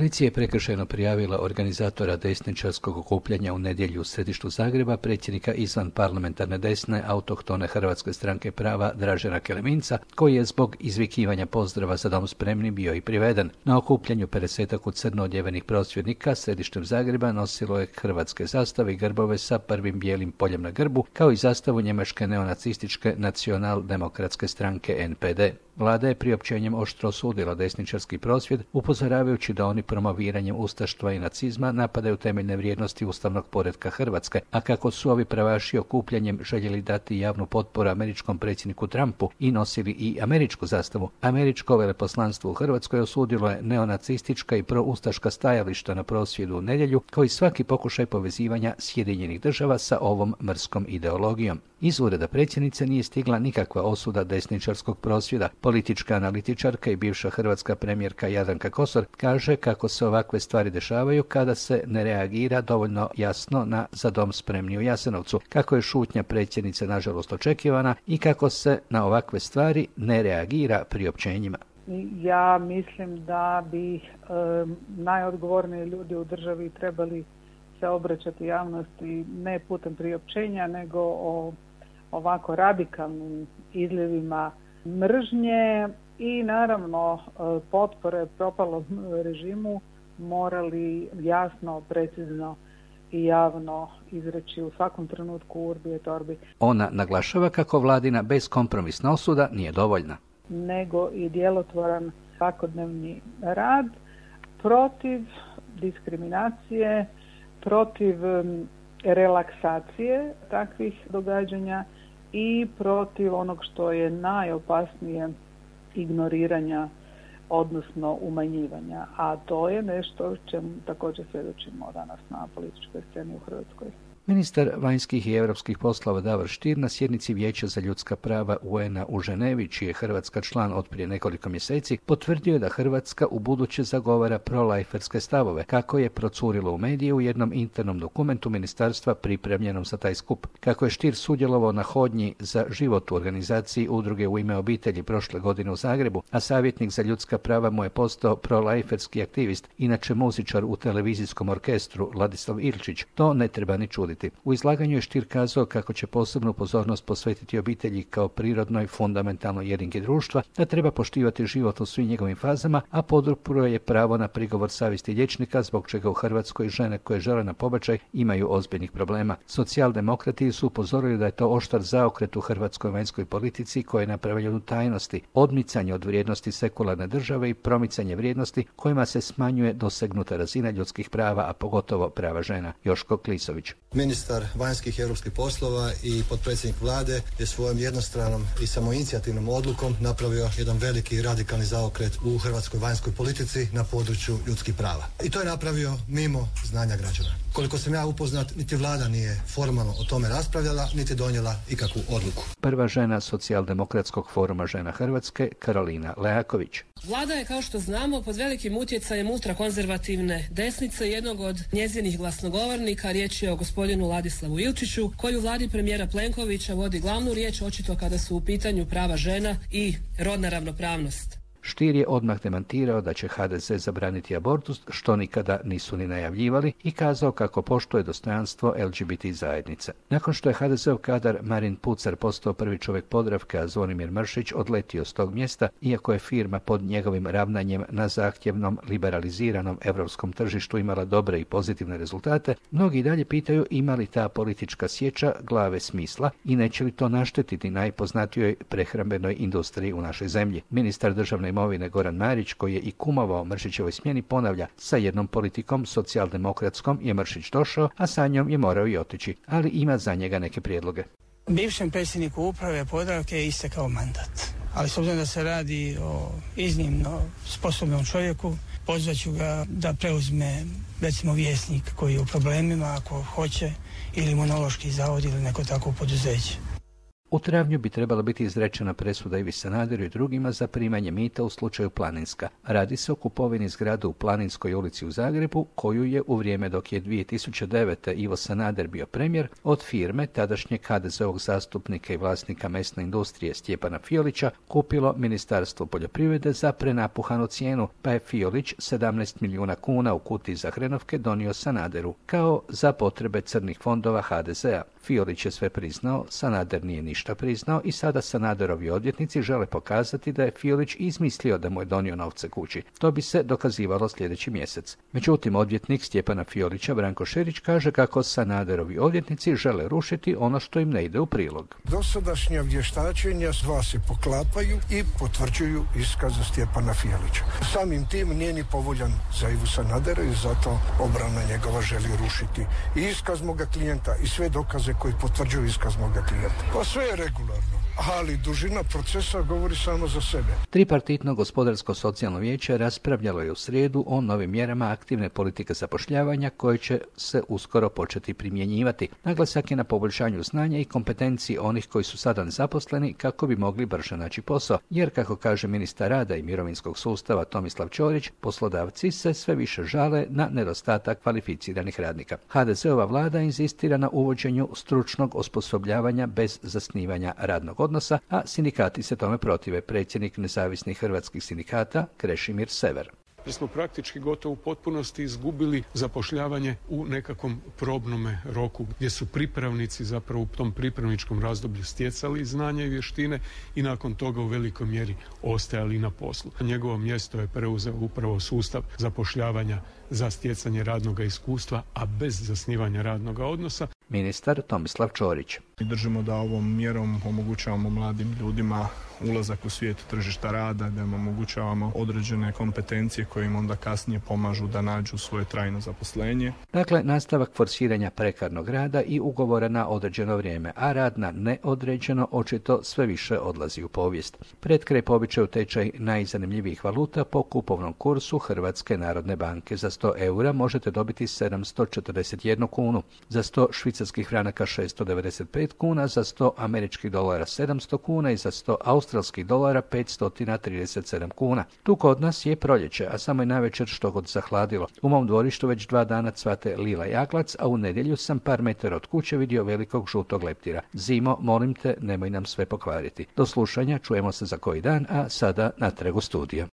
Policija je prekršajno prijavila organizatora desničarskog okupljanja u nedjelju u središtu Zagreba, predsjednika izvan parlamentarne desne autohtone Hrvatske stranke prava Dražena Keleminca, koji je zbog izvikivanja pozdrava za dom spremni bio i priveden. Na okupljanju 50 u crno odjevenih prosvjednika središtem Zagreba nosilo je hrvatske zastave i grbove sa prvim bijelim poljem na grbu, kao i zastavu njemačke neonacističke nacional-demokratske stranke NPD. Vlada je priopćenjem oštro osudila desničarski prosvjed, upozoravajući da oni promoviranjem ustaštva i nacizma napadaju temeljne vrijednosti ustavnog poretka Hrvatske, a kako su ovi pravaši okupljanjem željeli dati javnu potporu američkom predsjedniku Trumpu i nosili i američku zastavu. Američko veleposlanstvo u Hrvatskoj osudilo je neonacistička i proustaška stajališta na prosvjedu u nedjelju, kao i svaki pokušaj povezivanja Sjedinjenih država sa ovom mrskom ideologijom. Iz ureda predsjednice nije stigla nikakva osuda desničarskog prosvjeda. Politička analitičarka i bivša hrvatska premijerka Jadranka Kosor kaže kako se ovakve stvari dešavaju kada se ne reagira dovoljno jasno na za dom spremni u Jasenovcu, kako je šutnja predsjednice nažalost očekivana i kako se na ovakve stvari ne reagira priopćenjima. Ja mislim da bi najodgovorniji ljudi u državi trebali se obraćati javnosti ne putem priopćenja, nego o ovako radikalnim izljevima mržnje i naravno potpore propalom režimu morali jasno, precizno i javno izreći u svakom trenutku urbi et orbi. Ona naglašava kako vladina beskompromisna osuda nije dovoljna, nego i djelotvoran svakodnevni rad protiv diskriminacije, protiv relaksacije takvih događanja i protiv onog što je najopasnije, ignoriranja, odnosno umanjivanja. A to je nešto čemu također svjedočimo danas na političkoj sceni u Hrvatskoj. Ministar vanjskih i europskih poslova Davor Stier na sjednici Vijeća za ljudska prava UN-a u Ženevi, čiji je Hrvatska član od prije nekoliko mjeseci, potvrdio je da Hrvatska ubuduće zagovara prolajferske stavove, kako je procurilo u medije u jednom internom dokumentu ministarstva pripremljenom za taj skup. Kako je Stier sudjelovao na hodnji za život u organizaciji Udruge u ime obitelji prošle godine u Zagrebu, a savjetnik za ljudska prava mu je postao prolajferski aktivist, inače muzičar u televizijskom orkestru Ladislav Ilčić, to ne treba ni čuditi. U izlaganju je Stier kazao kako će posebnu pozornost posvetiti obitelji kao prirodnoj, fundamentalnoj jedinki društva, da treba poštivati život u svim njegovim fazama, a podupro je pravo na prigovor savjesti liječnika, zbog čega u Hrvatskoj žene koje žele na pobačaj imaju ozbiljnih problema. Socijaldemokrati su upozorili da je to oštar zaokret u hrvatskoj vanjskoj politici koji je napravljen u tajnosti, odmicanje od vrijednosti sekularne države i promicanje vrijednosti kojima se smanjuje dosegnuta razina ljudskih prava, a pogotovo prava žena. Joško Klisović. Ministar vanjskih i europskih poslova i potpredsjednik vlade je svojom jednostranom i samoinicijativnom odlukom napravio jedan veliki i radikalni zaokret u hrvatskoj vanjskoj politici na području ljudskih prava. I to je napravio mimo znanja građana. Koliko sam ja upoznat, niti vlada nije formalno o tome raspravljala, niti donijela ikakvu odluku. Prva žena Socijaldemokratskog foruma žena Hrvatske, Karolina Leaković. Vlada je, kao što znamo, pod velikim utjecajem ultrakonzervativne desnice, jednog od njezinih glasnogovornika, riječ je o gospodinu Ladislavu Ilčiću, koji u vladi premijera Plenkovića vodi glavnu riječ, očito kada su u pitanju prava žena i rodna ravnopravnost. Stier je odmah demantirao da će HDZ zabraniti abortus, što nikada nisu ni najavljivali, i kazao kako poštuje dostojanstvo LGBT zajednice. Nakon što je HDZ-ov kadar Marin Pucar postao prvi čovjek Podravke, a Zvonimir Mršić odletio s tog mjesta, iako je firma pod njegovim ravnanjem na zahtjevnom liberaliziranom europskom tržištu imala dobre i pozitivne rezultate, mnogi dalje pitaju ima li ta politička sječa glave smisla i neće li to naštetiti najpoznatijoj prehrambenoj industriji u našoj zemlji. Ministar državne imovine Goran Marić, koji je i kumovao Mršićevoj smjeni, ponavlja, sa jednom politikom socijaldemokratskom je Mršić došao, a sa njom je morao i otići, ali ima za njega neke prijedloge. Bivšem predsjedniku uprave Podravke je istekao mandat, ali s obzirom da se radi o iznimno sposobnom čovjeku, pozvat ću ga da preuzme recimo Vjesnik koji je u problemima ako hoće, ili Imunološki zavod ili neko tako poduzeće. U travnju bi trebala biti izrečena presuda Ivi Sanaderu i drugima za primanje mita u slučaju Planinska. Radi se o kupovini zgrade u Planinskoj ulici u Zagrebu, koju je u vrijeme dok je 2009. Ivo Sanader bio premijer od firme tadašnjeg HDZ-ovog zastupnika i vlasnika mesne industrije Stjepana Fiolića kupilo Ministarstvo poljoprivrede za prenapuhanu cijenu, pa je Fiolić 17 milijuna kuna u kutiji za hrenovke donio Sanaderu, kao za potrebe crnih fondova HDZ-a. Fiolić je sve priznao, Sanader nije ništa priznao i sada Sanaderovi odvjetnici žele pokazati da je Fiolić izmislio da mu je donio novce kući. To bi se dokazivalo sljedeći mjesec. Međutim, odvjetnik Stjepana Fiolića Branko Šerić kaže kako Sanaderovi odvjetnici žele rušiti ono što im ne ide u prilog. Dosadašnja vještačenja dva se poklapaju i potvrđuju iskaz Stjepana Fiolića. Samim tim nije ni povoljan za Ivu Sanadera i zato obrana njegova želi rušiti i iskaz moga klijenta i sve dokaze koji potvrđuju iskaz moga klijenta. Pa sve je regularno, ali dužina procesa govori samo za sebe. Tripartitno gospodarsko-socijalno vijeće raspravljalo je u srijedu o novim mjerama aktivne politike zapošljavanja koje će se uskoro početi primjenjivati. Naglasak je na poboljšanju znanja i kompetenciji onih koji su sada nezaposleni kako bi mogli brže naći posao, jer kako kaže ministar rada i mirovinskog sustava Tomislav Ćorić, poslodavci se sve više žale na nedostatak kvalificiranih radnika. HDZ-ova vlada inzistira na uvođenju stručnog osposobljavanja bez zasnivanja radnog odnosa, a sindikati se tome protive. Predsjednik nezavisnih hrvatskih sindikata Krešimir Sever. Jer smo praktički gotovo u potpunosti izgubili zapošljavanje u nekakvom probnome roku, gdje su pripravnici zapravo u tom pripravničkom razdoblju stjecali znanja i vještine i nakon toga u velikoj mjeri ostajali na poslu. Njegovo mjesto je preuzeo upravo sustav zapošljavanja za stjecanje radnog iskustva, a bez zasnivanja radnog odnosa. Ministar Tomislav Ćorić. Mi držimo da ovom mjerom omogućavamo mladim ljudima ulazak u svijet tržišta rada, da im omogućavamo određene kompetencije koje im onda kasnije pomažu da nađu svoje trajno zaposlenje. Dakle, nastavak forsiranja prekarnog rada i ugovora na određeno vrijeme, a rad na neodređeno očito sve više odlazi u povijest. Pred kraj po običaju tečaj najzanimljivijih valuta po kupovnom kursu Hrvatske narodne banke. Za 100 eura možete dobiti 741 kunu, za 100 švicarskih franaka 695 kuna, za 100 američkih dolara 700 kuna i za 100 australskih dolara 537 kuna. Tu kod nas je proljeće, a samo je navečer što god zahladilo. U mom dvorištu već 2 dana cvate lila jaklac, a u nedjelju sam par metara od kuće vidio velikog žutog leptira. Zimo, molim te, nemoj nam sve pokvariti. Do slušanja, čujemo se za koji dan, a sada natrag u studio.